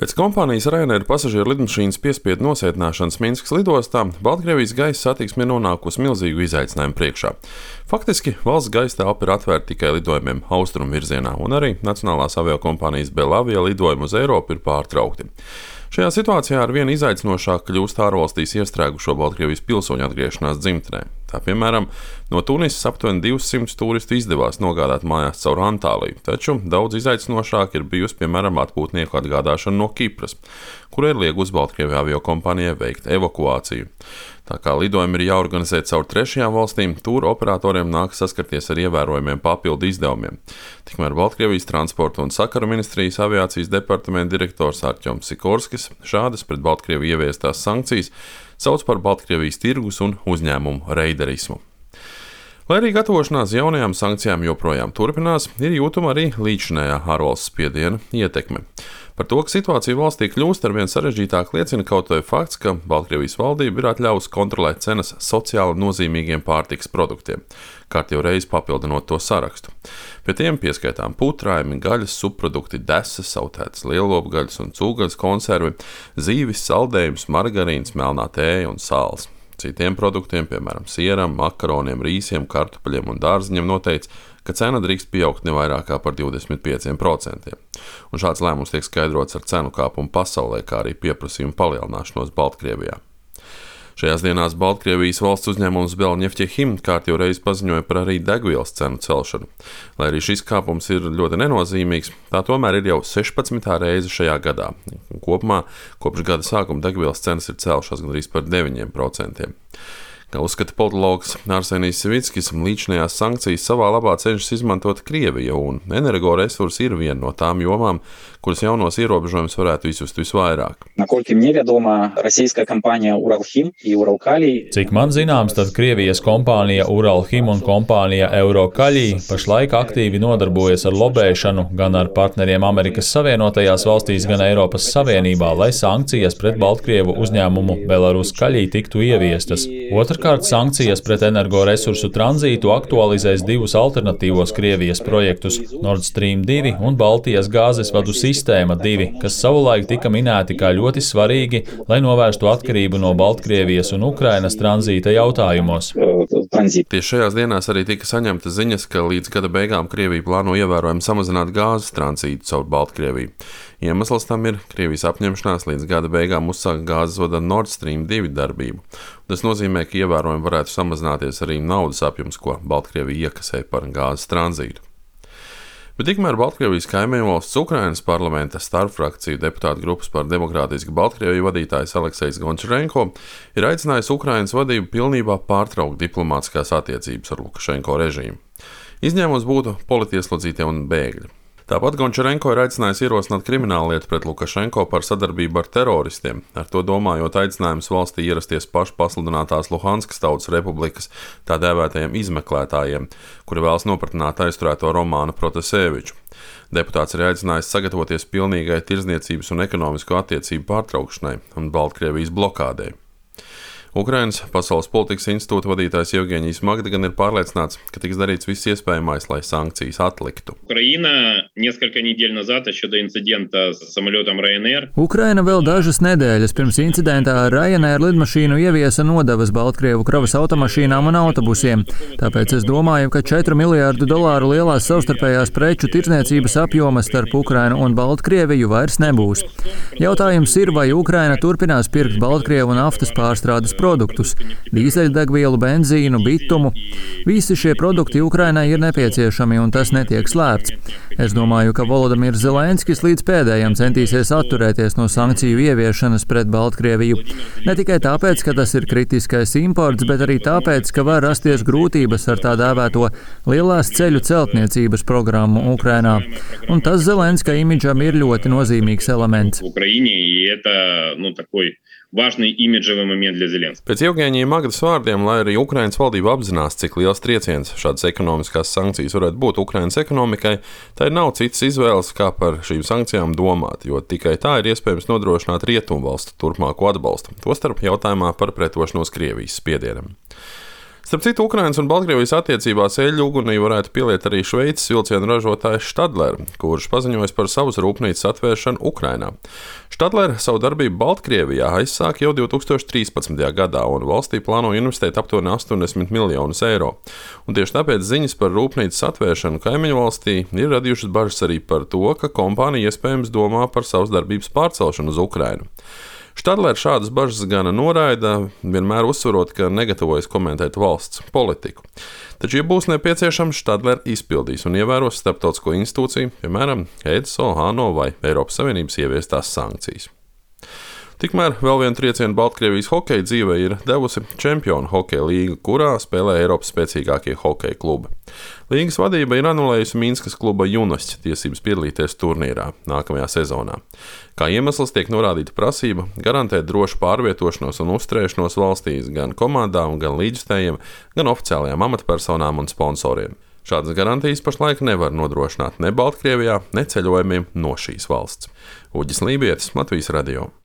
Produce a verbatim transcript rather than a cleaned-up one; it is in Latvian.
Pēc kompānijas Ryanair pasažieru lidmašīnas piespiedu nosētināšanas Minskas lidostā Baltkrievijas gaisa satiksme ir nonākusi milzīgu izaicinājumu priekšā. Faktiski valsts gaisa telpa ir atvērta tikai lidojumiem austrumu virzienā, un arī nacionālās aviokompānijas Belavia lidojumi uz Eiropu ir pārtraukti. Šajā situācijā ar vien izaicinošāk kļūst ārvalstīs iestrēgušo Baltkrievijas pilsoņu atgriešanās dzimtenē. Tā piemēram, no Tunisas aptuveni divsimt turistu izdevās nogādāt mājās caur Antāliju, taču daudz izaicinošāk ir bijusi, piemēram, atpūtnieku atgādāšana no Kipras, kur ir liegus Baltkrievijas aviokompānijai veikt evakuāciju. Tā kā lidojumi ir jāorganizē caur trešajām valstīm, tur operatoriem nākas saskarties ar ievērojumiem papildu izdevumiem. Tikmēr Baltkrievijas transporta un sakaru ministrijas aviācijas departamenta direktors Artjoms Sikorskis šādas pret Baltkrieviju ieviestās sankcijas sauc par Baltkrievijas tirgus un uzņēmumu reiderismu. Lai arī gatavošanās jaunajām sankcijām joprojām turpinās, ir jūtama arī līdzinējā ārvalsts spiediena ietekme. Par to, ka situācija valstī kļūst arvien sarežģītāk, liecina kaut vai fakts, ka Baltkrievijas valdība ir atļāvusi kontrolēt cenas sociāli nozīmīgiem pārtikas produktiem, kārtīgi reizi papildinot to sarakstu. Pie tiem pieskaitām putrājumi, gaļas subprodukti, desas, sautētas lielopgaļas un cūgaļas konservi, zīvis, saldējums, margarīns, melnā tēja un sāls. Citiem produktiem, piemēram, sieram, makaroniem, rīsiem, kartupeļiem un dārziņiem noteica, ka cena drīkst pieaugt ne vairāk kā par divdesmit pieciem procentiem. Un šāds lēmums tiek skaidrots ar cenu kāpumu pasaulē, kā arī pieprasījumu palielināšanos Baltkrievijā. Šajās dienās Baltkrievijas valsts uzņēmums Belneftekhim kārtīgi reiz paziņoja par arī degvielas cenu celšanu. Lai arī šis kāpums ir ļoti nenozīmīgs, tā tomēr ir jau sešpadsmitā reize šajā gadā. Kopumā kopš gada sākuma degvielas cenas ir celšās gandrīz par deviņiem procentiem. Kā uzskata politologs Arsenijs Savickis, līdzinājās sankcijas savā labā cenšas izmantot Krievija, un energoresursi ir viena no tām jomām, kuras jaunos ierobežojumus varētu izjust visvairāk. Cik man zināms, tad Krievijas kompānija Uralhim un kompānija Eurokaļi pašlaik aktīvi nodarbojas ar lobēšanu gan ar partneriem Amerikas Savienotajās valstīs, gan Eiropas Savienībā, lai sankcijas pret Baltkrievu uzņēmumu Belarus Kaļi tiktu ieviestas. Otrkārt, sankcijas pret energoresursu tranzītu aktualizēs divus alternatīvos Krievijas projektus – Nord Stream divi un Baltijas gāzes vadu sistēma divi, kas savulaik tika minēti kā ļoti svarīgi, lai novērstu atkarību no Baltkrievijas un Ukrainas tranzīta jautājumos. Tieši šajās dienās arī tika saņemtas ziņas, ka līdz gada beigām Krievija plāno ievērojami samazināt gāzes tranzītu caur Baltkrieviju. Iemesls tam ir Krievijas apņemšanās līdz gada beigām uzsākt gāzes vada Nord Stream divi darbību. Tas nozīmē, ka ievērojami varētu samazināties arī naudas apjoms, ko Baltkrievija iekasē par gāzes tranzītu. Bet tikmēr Baltkrievijas kaimiņvalsts Ukrainas parlamenta starpfrakciju deputātu grupas par demokrātisku Baltkrieviju vadītājs Aleksejs Gončarenko ir aicinājis Ukrainas vadību pilnībā pārtraukt diplomātiskās attiecības ar Lukašenko režīmu. Izņēmums būtu politieslodzītie un bēgļi. Tāpat Gončarenko ir aicinājis ierosināt krimināllietu pret Lukašenko par sadarbību ar teroristiem, ar to domājot aicinājums valstī ierasties pašu pasludinātās Luhanskas tautas republikas tā dēvētajiem izmeklētājiem, kuri vēlas nopratināt aizturēto Romānu Protaseviču. Deputāts ir aicinājis sagatavoties pilnīgai tirdzniecības un ekonomisko attiecību pārtraukšanai un Baltkrievijas blokādei. Ukrainas Pasaules politikas institūta vadītājs Jevgeņijs Magda gan ir pārliecināts, ka tiks darīts viss iespējamais, lai sankcijas atliktu. Ukraina vēl dažas nedēļas pirms incidentā ar Ryanair lidmašīnu ieviesa nodevas Baltkrievu kravas automašīnām un autobusiem. Tāpēc es domāju, ka četru miljārdu dolāru lielās savstarpējās preču tirdzniecības apjomas starp Ukrainu un Baltkrieviju vairs nebūs. Jautājums ir, vai Ukraina turpinās pirkt Baltkrievu naftas pārstrādes produktus – dīzeļdegvielu, benzīnu, bitumu. Visi šie produkti Ukrainai ir nepieciešami, un tas netiek slēpts. Es domāju, ka Volodimirs Zelenskis līdz pēdējam centīsies atturēties no sankciju ieviešanas pret Baltkrieviju. Ne tikai tāpēc, ka tas ir kritiskais imports, bet arī tāpēc, ka var rasties grūtības ar tā dēvēto lielās ceļu celtniecības programmu Ukrainā. Un tas Zelenska imidžam ir ļoti nozīmīgs elements. Pēc Jevgeņija Magdas vārdiem, lai arī Ukrainas valdība apzinās, cik liels trieciens šādas ekonomiskās sankcijas varētu būt Ukrainas ekonomikai, tai nav citas izvēles, kā par šīm sankcijām domāt, jo tikai tā ir iespējams nodrošināt rietumvalstu turpmāko atbalstu, tostarp jautājumā par pretošanos Krievijas spiedienam. Starp citu, Ukrainas un Baltkrievijas attiecībās eļļu ugunī varētu pieliet arī Šveices vilcienu ražotājs Stadler, kurš paziņojis par savas rūpnīcas atvēršanu Ukrainā. Stadler savu darbību Baltkrievijā aizsāka jau divi tūkstoši trīspadsmitajā gadā un valstī plāno investēt aptuveni astoņdesmit miljonus eiro. Un tieši tāpēc ziņas par rūpnīcas atvēršanu kaimiņu valstī ir radījušas bažas arī par to, ka kompānija iespējams domā par savas darbības pārcelšanu uz Ukrainu. Stadler šādas bažas gan noraida, vienmēr uzsverot, ka negatavojas komentēt valsts politiku. Taču, ja būs nepieciešams, Stadler izpildīs un ievēros starptautisko institūciju, piemēram, E D S O, ANO vai Eiropas Savienības ieviestās sankcijas. Tikmēr vēl vienu triecienu Baltkrievijas hokeja dzīvē ir devusi Čempionu hokeja līga, kurā spēlē Eiropas spēcīgākie hokeja klubi. Līgas vadība ir anulējusi Minskas kluba Junasts tiesības piedalīties turnīrā nākamajā sezonā. Kā iemesls tiek norādīta prasība garantēt drošu pārvietošanos un uzturēšanos valstīs gan komandām, gan līdzstējiem, gan oficiālajām amatpersonām un sponsoriem. Šādas garantijas pašlaik nevar nodrošināt ne Baltkrievijā, ne ceļojumiem no šīs valsts. Uģis Lībietis, Latvijas radio.